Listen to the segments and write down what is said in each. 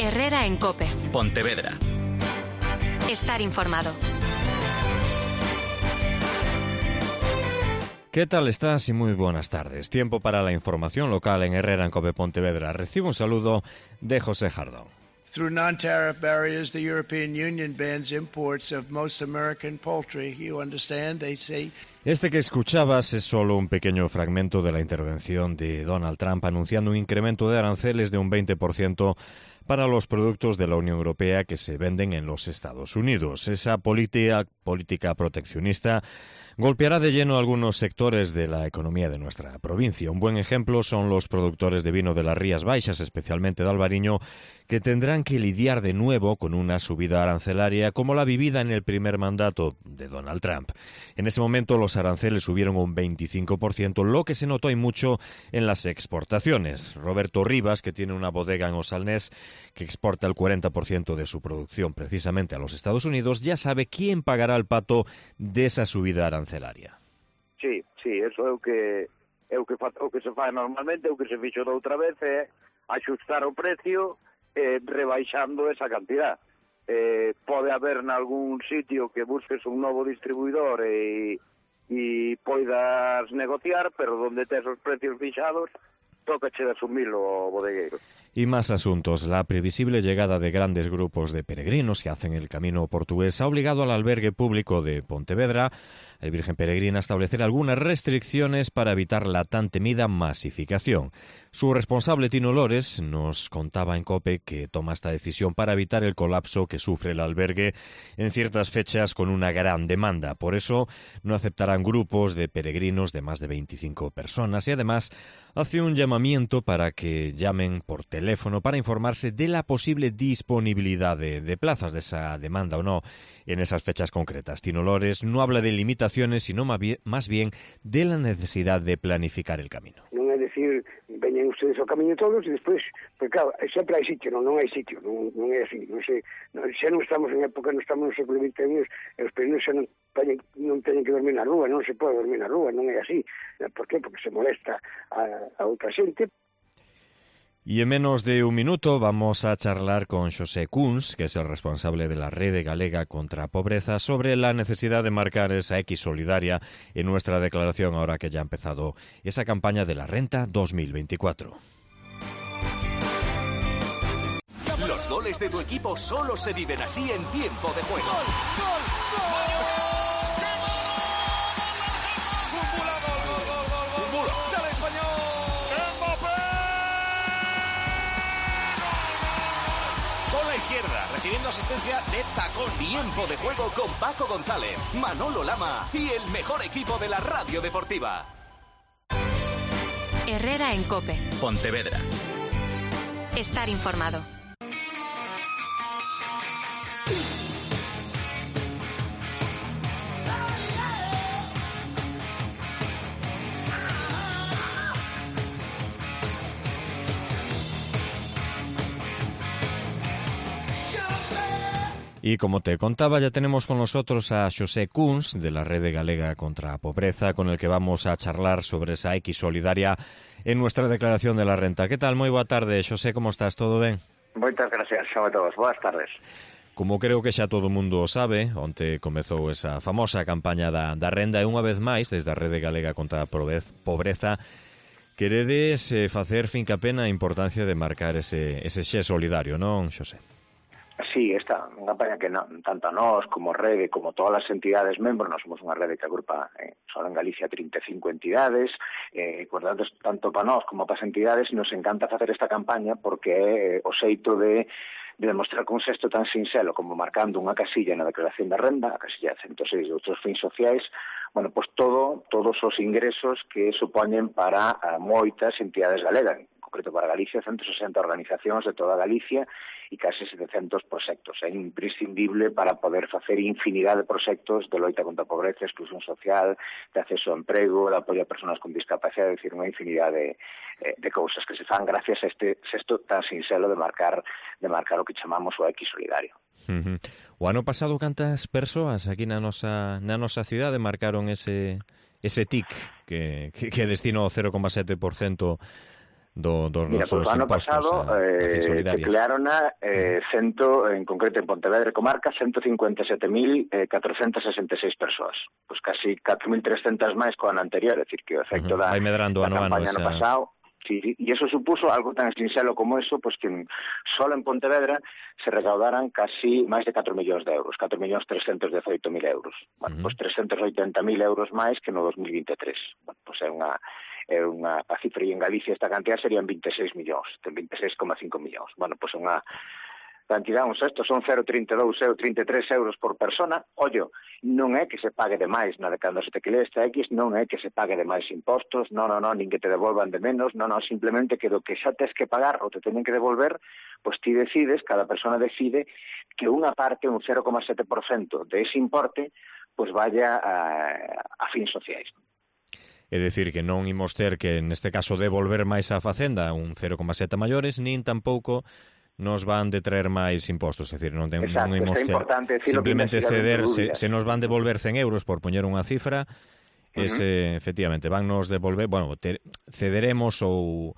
Herrera en COPE. Pontevedra. Estar informado. ¿Qué tal estás? Y muy buenas tardes. Tiempo para la información local en Herrera en COPE Pontevedra. Recibo un saludo de José Jardón. Through non-tariff barriers, the European Union bans imports of most American poultry. You understand? They say... Este que escuchabas es solo un pequeño fragmento de la intervención de Donald Trump anunciando un incremento de aranceles de un 20% para los productos de la Unión Europea que se venden en los Estados Unidos. Esa política proteccionista golpeará de lleno algunos sectores de la economía de nuestra provincia. Un buen ejemplo son los productores de vino de las Rías Baixas, especialmente de Albariño, que tendrán que lidiar de nuevo con una subida arancelaria como la vivida en el primer mandato de Donald Trump. En ese momento los aranceles subieron un 25%, lo que se notó y mucho en las exportaciones. Roberto Rivas, que tiene una bodega en Osalnés que exporta el 40% de su producción precisamente a los Estados Unidos, ya sabe quién pagará el pato de esa subida arancelaria. Sí, eso é o que se fai normalmente, o que se fixo da outra vez é axustar o precio rebaixando esa cantidad. Pode haber nalgún sitio que busques un novo distribuidor e poidas negociar, pero donde tes os precios fixados, tócache de asumilo o bodegueiro. Y más asuntos. La previsible llegada de grandes grupos de peregrinos que hacen el camino portugués ha obligado al albergue público de Pontevedra, el Virgen Peregrina, a establecer algunas restricciones para evitar la tan temida masificación. Su responsable, Tino Lores, nos contaba en COPE que toma esta decisión para evitar el colapso que sufre el albergue en ciertas fechas con una gran demanda. Por eso no aceptarán grupos de peregrinos de más de 25 personas y además hace un llamamiento para que llamen por teléfono para informarse de la posible disponibilidad de plazas, de esa demanda o no en esas fechas concretas. Tino Lores no habla de limitaciones, sino más bien de la necesidad de planificar el camino. Non é dicir, veñen ustedes ao camiño todos e despois, porque claro, sempre hai sitio, non hai sitio, non é así, xa non estamos en época, non estamos no século XXI, os peregrinos xa non teñen que dormir na rúa, non se pode dormir na rúa, non é así. Por qué? Porque se molesta a outra xente. Y en menos de un minuto vamos a charlar con Xosé Kunz, que es el responsable de la Rede Galega contra a Pobreza, sobre la necesidad de marcar esa X solidaria en nuestra declaración ahora que ya ha empezado esa campaña de la Renta 2024. Los goles de tu equipo solo se viven así en tiempo de juego. ¡Gol! Recibiendo asistencia de tacón. Tiempo de juego con Paco González, Manolo Lama y el mejor equipo de la radio deportiva. Herrera en COPE. Pontevedra. Estar informado. Y como te contaba, ya tenemos con nosotros a Xosé Kunz, de la Rede Galega contra a Pobreza, con el que vamos a charlar sobre esa X solidaria en nuestra declaración de la renta. ¿Qué tal? Moi boa tarde, Xosé, como estás? Todo ben? Moitas gracias a todos. Boas tardes. Como creo que xa todo o mundo o sabe, onte comezou esa famosa campaña da renda e unha vez máis, desde a Rede Galega contra a Pobreza, queredes facer fincapé na importancia de marcar ese xe solidario, non, Xosé? Sí, esta unha campaña que tanto a nós como Rede, como todas as entidades membros, nós somos unha rede que agrupa só en Galicia 35 entidades, por tanto para nós como para as entidades nos encanta facer esta campaña porque é o xeito de demostrar con un xesto tan sinxelo como marcando unha casilla na declaración da renda, a casilla 106 de outros fins sociais, bueno, pois todos os ingresos que supoñen para moitas entidades galegas, en concreto para Galicia, 160 organizacións de toda Galicia e case 700 proxectos. É imprescindible para poder facer infinidade de proxectos de loita contra a pobreza, exclusión social, de acceso ao emprego, de apoio a persoas con discapacidade, é dicir, unha infinidade de cousas que se fan gracias a este xesto tan sinxelo de marcar o que chamamos o X solidario. O ano pasado cantas persoas aquí na nosa cidade marcaron ese TIC que destinó o 0,7% dos Mira, nosos pues o ano impostos pasado declararon en concreto en Pontevedra e comarca 157.466 persoas. Pois casi 4.300 máis co ano anterior, é dicir, que o efecto da campaña ano pasado. Sí, e eso supuso algo tan sinxelo como eso, pois que solo en Pontevedra se recaudaran casi máis de 4 millóns de euros, 4.318.000 euros. Bueno, pois 380.000 euros máis que no 2023. Bueno, pois é unha a cifra, e en Galicia esta cantidad serían 26 millóns, 26,5 millóns. Bueno, pois unha cantidad, estos son 0,32 ou 33 euros por persona. Ollo, non é que se pague de máis, cando se te quile esta X, non é que se pague de máis impostos, non, nin que te devolvan de menos, simplemente que do que xa tes que pagar ou te teñen que devolver, pois ti decides, cada persona decide que unha parte, un 0,7% de ese importe, pois vaya a fins sociais. É dicir, que non imos ter que, neste caso, devolver máis á Facenda un 0,7 maiores, nin tampouco nos van de traer máis impostos, é dicir, non imos ter simplemente ceder, se nos van devolver 100 euros por poñer unha cifra, efectivamente, van nos devolver, cederemos ou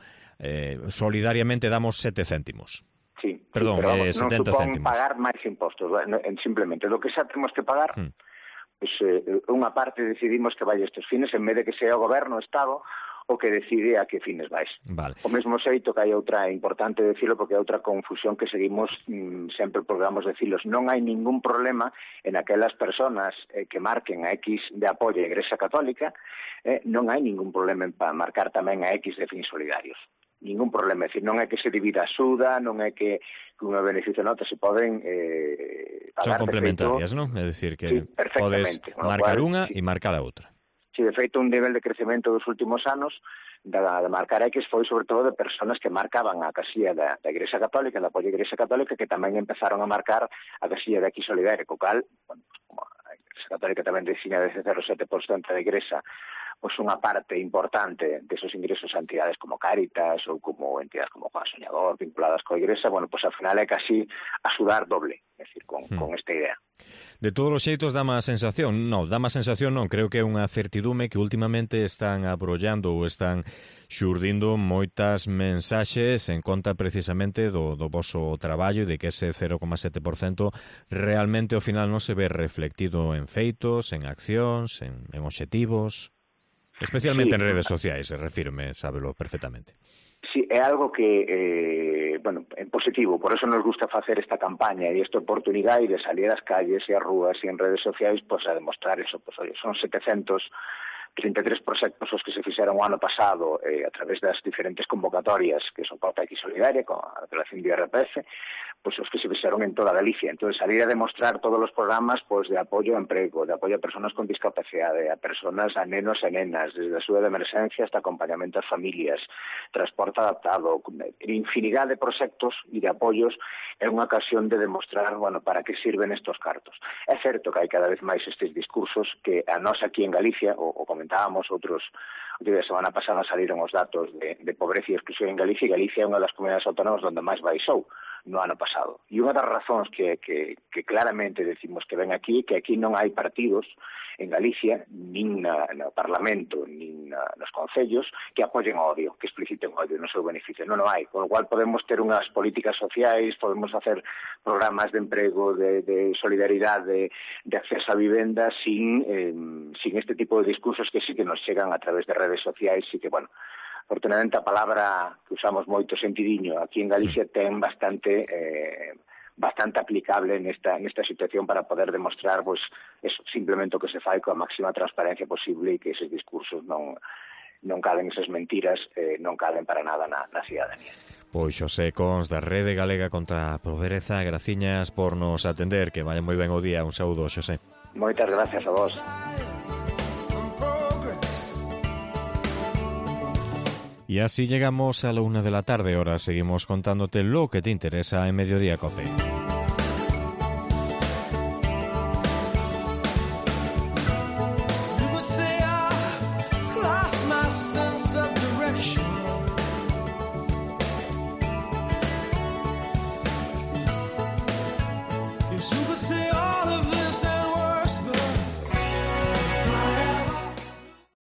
solidariamente damos 7 céntimos. Sí, perdón, pero 70 non supón céntimos. pagar máis impostos, simplemente, do que xa temos que pagar, pois unha parte decidimos que vai estes fines, en vez de que sea o goberno, o Estado, o que decide a que fines vais. Vale. O mesmo xeito que hai outra, importante decirlo, porque hai outra confusión que seguimos sempre programamos decilos. Non hai ningún problema en aquelas personas que marquen a X de apoio á Igrexa Católica, non hai ningún problema en marcar tamén a X de fins solidarios. Ningún problema, é dicir, non é que se divida a xuda, non é que unha beneficio nota se poden pagar. Son complementarias, non? É dicir, que podes marcar unha e marcar a outra. Si, de feito, un nivel de crecemento dos últimos anos de marcar X foi sobre todo de personas que marcaban a casilla da Igrexa Católica, da apoio á Igrexa Católica, que tamén empezaron a marcar a casilla de X solidaria, co cal, bueno, como a Igrexa Católica tamén destina desde 0,7% da Igrexa, pois unha parte importante desos ingresos a entidades como Cáritas ou como entidades como Juan Soñador vinculadas coa Igrexa, bueno, pois ao final é casi axudar doble, é dicir, con esta idea. De todos os xeitos dá má sensación, creo que é unha certidume que últimamente están abrollando ou están xurdindo moitas mensaxes en conta precisamente do voso traballo e de que ese 0,7% realmente ao final non se ve reflectido en feitos, en accións, en obxectivos. Especialmente en redes sociais, refírome, sábelo perfectamente. Sí, é algo que, é positivo, por eso nos gusta facer esta campaña e esta oportunidade de salir ás calles e ás rúas e en redes sociais a demostrar eso. Son 733 proxectos os que se fixeron o ano pasado a través das diferentes convocatorias que son Pauta X Solidaria, con a declaración de IRPF, os que se fixeron en toda Galicia. Entón, salir a demostrar todos os programas de apoio ao emprego, de apoio a persoas con discapacidade, a personas, a nenos e nenas, desde a axuda de emerxencia hasta acompañamento ás familias, transporte adaptado, infinidade de proxectos e de apoios, é unha ocasión de demostrar, para que sirven estos cartos. É certo que hai cada vez máis estes discursos que a nós aquí en Galicia, o comentábamos outros, a semana pasada saliron os datos de pobreza e exclusión en Galicia, e Galicia é unha das comunidades autónomas onde máis baixou no ano pasado. E unha das razóns que claramente decimos que ven aquí, que aquí non hai partidos en Galicia, nin no Parlamento, nin nos concellos, que apoyen o odio, que expliciten o odio no seu beneficio. Non hai, con o cual podemos ter unhas políticas sociais, podemos facer programas de emprego, de solidaridade, de acceso a vivenda sin este tipo de discursos que sí que nos chegan a través de redes sociais e que, afortunadamente a palabra que usamos moito, sentidiño, aquí en Galicia ten bastante aplicable nesta situación para poder demostrar eso, simplemente o que se fai coa máxima transparencia posible e que eses discursos non calen, esas mentiras non calen para nada na cidadanía. Pois Xosé Cons da Rede Galega contra a Pobreza, graciñas por nos atender, que vaya moi ben o día. Un saúdo, Xosé. Moitas gracias a vos. Y así llegamos a la 1 de la tarde. Ahora seguimos contándote lo que te interesa en Mediodía COPE.